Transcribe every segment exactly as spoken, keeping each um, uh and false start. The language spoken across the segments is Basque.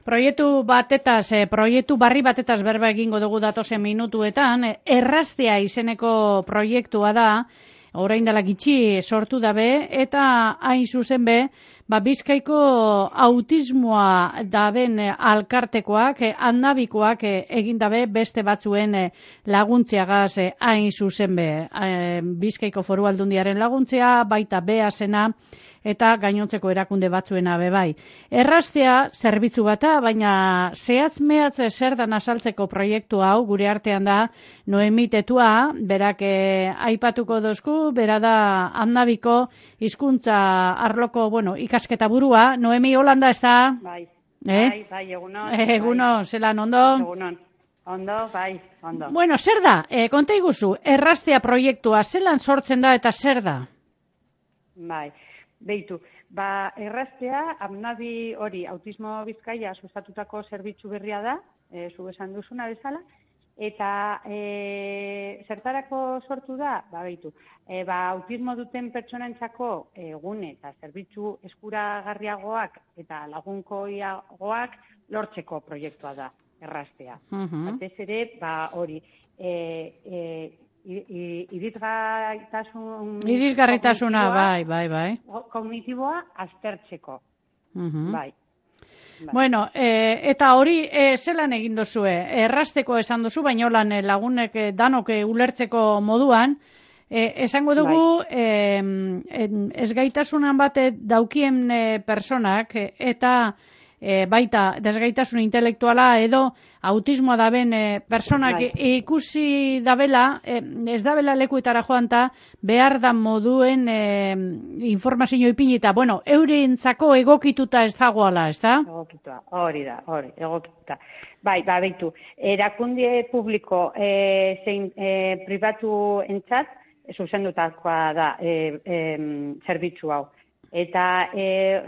Proiektu batetaz, eh, proiektu barri batetaz berba egingo dugu datozen minutuetan, Erraztea izeneko proiektua da, orain dela gitxi sortu dabe, eta hain zuzen be, ba, Bizkaiko autismoa daben alkartekoak, handabikoak egin dabe beste batzuen laguntziagaz hain zuzen be. Bizkaiko Foru Aldundiaren laguntzea, baita beazena, eta gainontzeko erakunde batzuena bebai. Erraztea zerbitzu bata, baina zehatz mehatz zer dan azaltzeko proiektu hau gure artean da Noemi Tetua, berak eh, aipatuko dozku, bera da handabiko hizkuntza arloko, bueno, ikasketa burua. Noemi, Holanda ez da? Bai, eh? bai, bai, egunon. Egunon, bai. Zelan ondo? Egunon, ondo, bai, ondo. Bueno, zer da? E, konta iguzu, Erraztea proiektua, zelan sortzen da eta zer da? Bai. Beitu, ba, Erraztea, Hamnabi hori, Autismo Bizkaia sustatutako zerbitzu berria da, e, zu esan duzuna bezala, eta e, zertarako sortu da, ba, beitu, e, ba, autismo duten pertsonentzako egune eta zerbitzu eskuragarriagoak eta lagunkoiagoak lortzeko proiektua da, Erraztea. Uh-huh. Batez ere, ba, hori, e, e, irisgarritasun irisgarritasuna, bai, bai, bai. Kognitiboa aztertzeko. Uh-huh. Bai. Bai. Bueno, e, eta hori e, zelan egin dozue? Errazteko esan duzu, baina lan lagunek danok ulertzeko moduan, e, esango dugu bai. e, ezgaitasunan bat daukien e, personak e, eta e, baita desgaitasun intelektuala edo autismoa daben e, personak bai. ikusi dabela, e, ez dabela lekuetara joan ta behar da moduen e, informazio ipinita. Bueno, eurentzako egokituta ez dagoala, ez da? Egokituta, hori da, hori, egokituta. Bai, ba, beitu, erakunde publiko e, zein e, pribatu entzat, zuzendutakoa da e, e, zerbitzu hau. Eta e,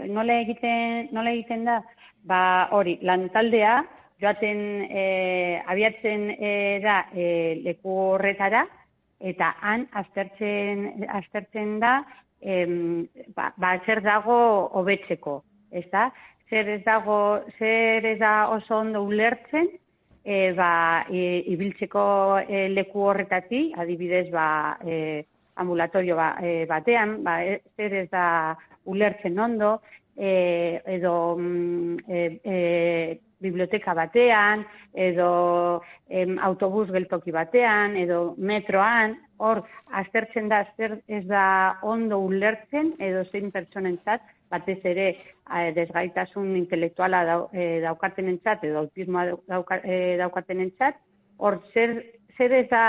nola egiten, nola egiten da? Ba, hori, lantaldea, joaten e, abiatzen e, da e, leku horretara, eta han aztertzen, aztertzen da e, ba, ba, zer dago hobetzeko, ez da? Zer ez dago, zer ez da oso ondo ulertzen, e, ba, e, ibiltzeko e, leku horretati, adibidez, ba, e, ambulatorio ba, e, batean, ba, e, zer ez da ulertzen ondo, e, edo e, e, biblioteka batean, edo em, autobus geltoki batean, edo metroan, hor, aztertzen da, azter ez da ondo ulertzen, edo zein pertsonentzat, batez ere eh, desgaitasun intelektuala dau, eh, daukatenentzat, edo autismoa dauka, eh, daukatenentzat, hor, zer, zer ez da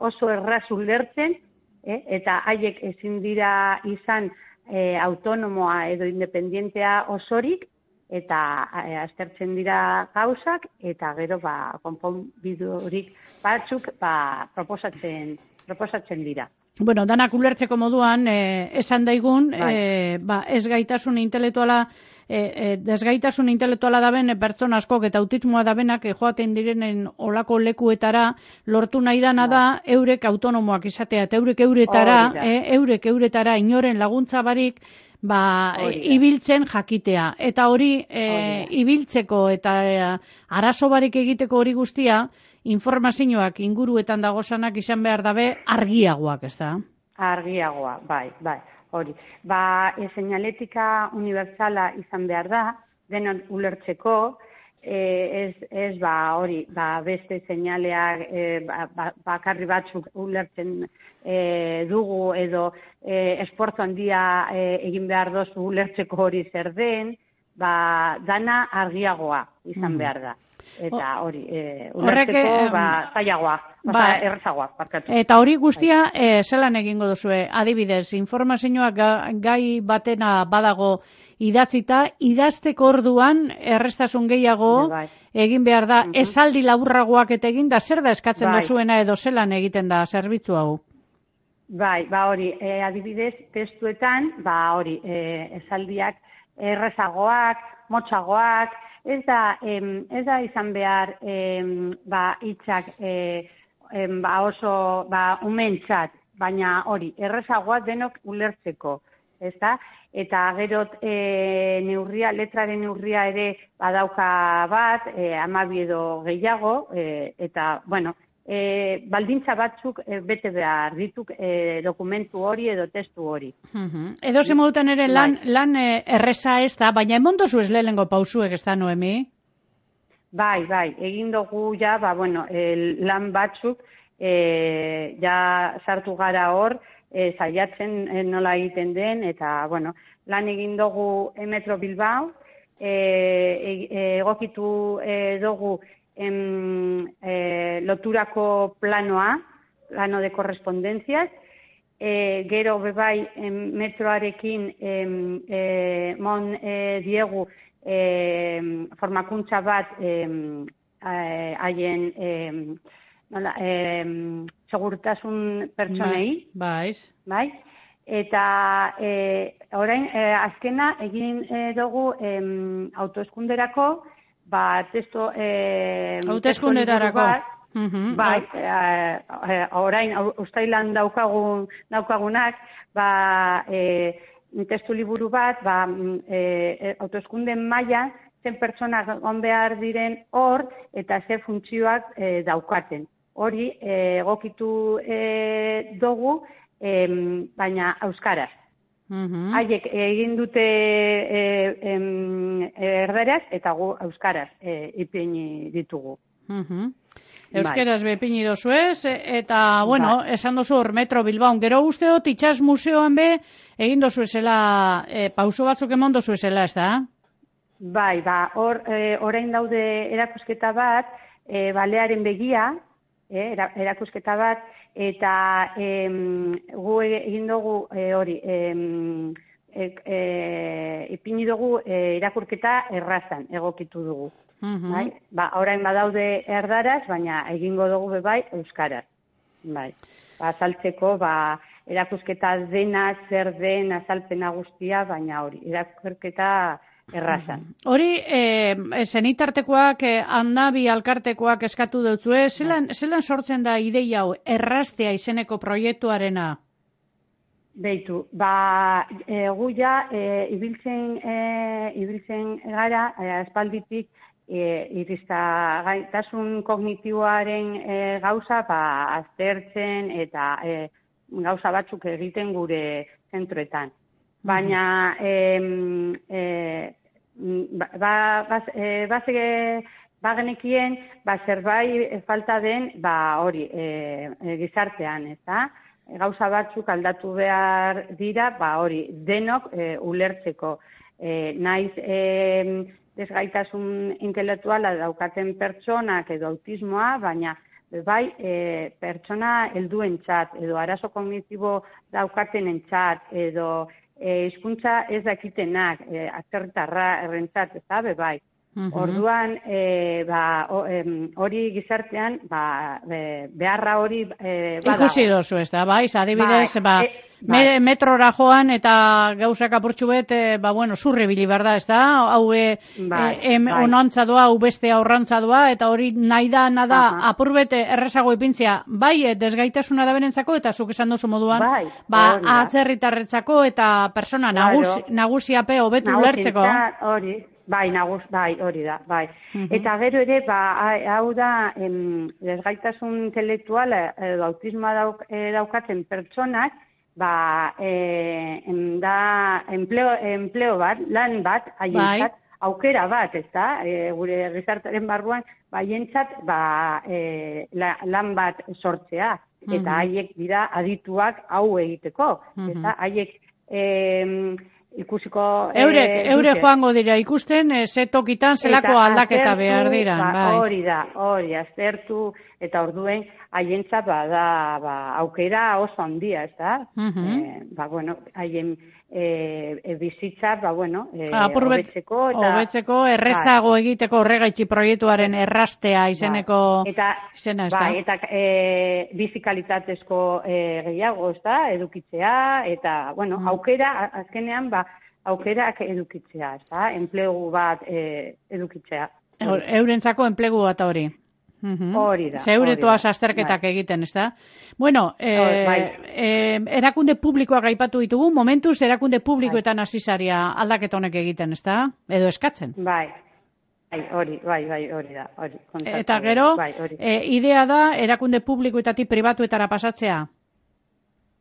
oso erraz ulertzen, eh, eta haiek ezin dira izan eh, autonomoa edo independientea osorik, eta e, aztertzen dira gauzak, eta gero ba, konponbidurik batzuk ba, proposatzen, proposatzen dira. Bueno, danak ulertzeko moduan, eh, esan daigun, bai. eh, ba, ez gaitasun intelektuala, eh, eh, desgaitasun intelektuala daben e, pertsona askok eta autismoa dabenak e, joaten direnen olako lekuetara lortu nahi dana bai. Da eurek autonomoak izatea, eta eurek euretara, eh, eurek euretara inoren laguntza barik, ba, e, ibiltzen jakitea. Eta hori e, ibiltzeko eta e, arazo barik egiteko hori guztia, informazioak inguruetan dagozanak izan behar dabe argiagoak, ez da? Argiagoa, bai, bai, hori. Ba, e, seinaletika unibertsala izan behar da, denon ulertzeko, e, ez, ez ba, hori, ba, beste seinaleak e, ba, ba, bakarri batzuk ulertzen e, dugu, edo e, esportu handia e, egin behar dozu ulertzeko hori zer den, ba, dana argiagoa izan behar da. Eta hori, e, ulertzeko, ba, zailagoa, ba, errazagoa, parkatu. Eta hori guztia, e, zelan egingo duzue, adibidez, informazioak gai batena badago idatzita, idazteko orduan, errestasun gehiago, bai. Egin behar da, uh-huh. Esaldi laburragoak eta egin da, zer da eskatzen bai. Dozuena edo zelan egiten da zerbitzu hau? Bai, ba hori, e, adibidez, testuetan, ba hori, e, esaldiak errezagoak, motxagoak, ez da, em, ez da izan behar em, ba, hitzak e, em, ba, oso ba, umentzat, baina hori, errezagoa denok ulertzeko, ez da? eta gero e, neurria, letraren neurria ere badauka bat, e, hamabi edo gehiago, e, eta, bueno, e, baldintza batzuk e, bete behar dituk e, dokumentu hori edo testu hori. Uh-huh. Edo ze modutan ere lan, bai. lan e, erreza ez da, baina emondozu ez lehenengo pausuek ez da, Noemi? Bai, bai, egin dugu ja, ba, bueno, e, lan batzuk, e, ja sartu gara hor, e, saiatzen e, nola egiten den, eta, bueno, lan egin dugu e, Metro Bilbao, e, e, egokitu e, dugu em, e, loturako planoa, plano de correspondencias, e, gero bebai em, metroarekin em, e, mon e, diegu e, formakuntza bat em, haien e, nola, e, segurtasun pertsonei, bai, bai, eta e, orain e, azkena egin e, dugu e, autoeskunderako, ba, testo e, autoeskunderako uh-huh. Bai, e, e, orain ustailan daukagun daukagunak, ba, e, testu liburu bat, ba, e, autoeskunden maila zen pertsonak egon behar diren hor eta ze funtzioak e, daukaten. Hori e, egokitu e, dugu, e, baina euskaraz. Uh-huh. Haiek egin dute e, em, erderaz eta gu euskaraz e, ipini ditugu. Uh-huh. Euskaraz bai. Bepini dozu ez, eta, bueno, bai. Esan dozu hor Metro Bilbaon. Gero uste dut itxas museoan be egin dozu esela, e, pauso batzuk emon dozu esela, ez da? Bai, ba, hor, e, orain daude erakusketa bat, e, balearen begia, e, erakusketa bat, eta em, gu egin dugu e, hori, em, e, e, ipini dugu e, irakurketa errazan egokitu dugu. Uh-huh. Bai? Ba, orain badaude erdaraz, baina egingo dugu bebai euskaraz. Bai. Ba, azaltzeko, ba, erakusketa dena, zer den, azalpena guztia, baina hori, irakurketa errazan. Hori, e, zenitartekoak, e, handabi alkartekoak eskatu dutzu, e, zelan, zelan sortzen da ideia hau, erraztea izeneko proiektuarena? Beitu, ba, e, gu ja, e, ibiltzen, e, ibiltzen gara, e, aspalditik, e, irista gaitasun kognitiboaren e, gauza, ba, aztertzen eta e, gauza batzuk egiten gure zentroetan. Baina, e, e, ba, ba, e, ba, ba genekien, ba, zerbait falta den, ba, hori, e, e, gizartean, ez da? Gauza batzuk aldatu behar dira, ba, hori, denok e, ulertzeko. E, naiz e, desgaitasun intelektuala daukaten pertsonak edo autismoa, baina bai e, pertsona helduentzat edo arazo kognitibo daukaten entzat edo E, hizkuntza ez dakitenak, e, atzerritarra errentzat, ez da, bai. Uh-huh. Orduan, e, ba, hori gizartean, ba, be, beharra hori e, badago. Ikusi dozu, ez da, bai, adibidez, ba, e, bai. metrora joan eta gauzak apurtxu bet, e, ba, bueno, zurri bili berda, ez da, hau e, bai, e, em, bai. onantza doa, hau beste aurrantza doa, eta hori nahi da, nada, uh-huh. apurbete errezago ipintzia, bai, e, desgaitasuna da berentzako, eta zuk esan duzu moduan, bai, ba, atzerritarretzako eta persona nagus, claro. nagusiape hobetu ulertzeko. Hori. Bai, nagus, bai, hori da, bai. Uh-huh. Eta gero ere, ba, hau da, em, desgaitasun intelektuala edo autismoa dauk, e, daukatzen pertsonak, ba, e, em, da, empleo, empleo bat, lan bat, haientzat, bai. Aukera bat, ez da, e, gure gizartaren barruan, haientzat, ba, e, la, lan bat sortzea, eta uh-huh. haiek dira adituak hau egiteko, uh-huh. ez da, haiek, e, ikusiko... Eurek, e, eure joango dira ikusten, e, ze tokitan zelako aldaketa aztertu, behar dira. Ba, bai. Hori da, hori, aztertu, eta orduen, haientzat ba, da, ba, aukera oso handia, ez da? Uh-huh. e, ba, bueno, haien e, e, bizitza, ba, bueno, e, hobetzeko, eta... Hobetzeko, errezago ba, egiteko horregaitzi proiektuaren errastea izeneko ba, eta, izena, ez da? Ba, eta e, bizikalitatezko e, gehiago, ez da, edukitzea, eta, bueno, uh-huh. aukera, azkenean, ba, aukerak edukitzea, ez da, enplegu bat e, edukitzea. Eurentzako enplegu bat hori. Hori da. Zeuretoaz azterketak egiten, ez da? Bueno, eh, bai. eh, erakunde publikoak aipatu ditugu, momentuz erakunde publikoetan hasi zaria aldaketa honek egiten, ez da? Edo eskatzen. Bai. Bai, hori, bai, bai, hori da, hori. Eta gero, bai, hori. E, idea da erakunde publikoetatik pribatuetara pasatzea?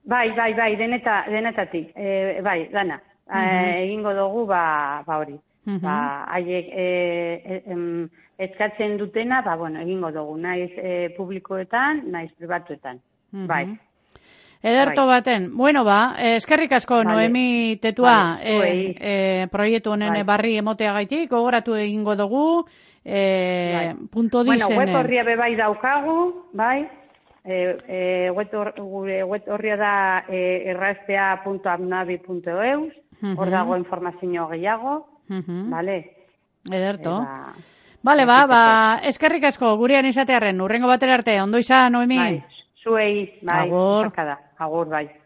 Bai, bai, bai, deneta, denetatik, e, bai, dana. Uh -huh. e, egingo dugu, ba, ba hori. Uh -huh. Ba, haiek e, e, eskatzen dutena, ba, bueno, egingo dugu, naiz e, publikoetan, naiz pribatuetan, uh -huh. bai. Ederto bai. Baten, bueno ba, eskerrik asko vale. Noemi Tetua vale. e, e, proiektu honen bai. Barri emoteagaitik, gogoratu egingo dugu, e, bai. punto dizen. Bueno, web horria bebai daukagu, bai, e, e, gure web horria da e, erraztea punto abnabi punto eus, uh-huh. hor dago informazio gehiago, uh-huh. vale? Ederto. Eba, vale, ba, ba, eskerrik asko, gurean izatearren, urrengo batera arte, ondo izan, Noemi? Bai. Zuei, bai, agur. Agur, bai.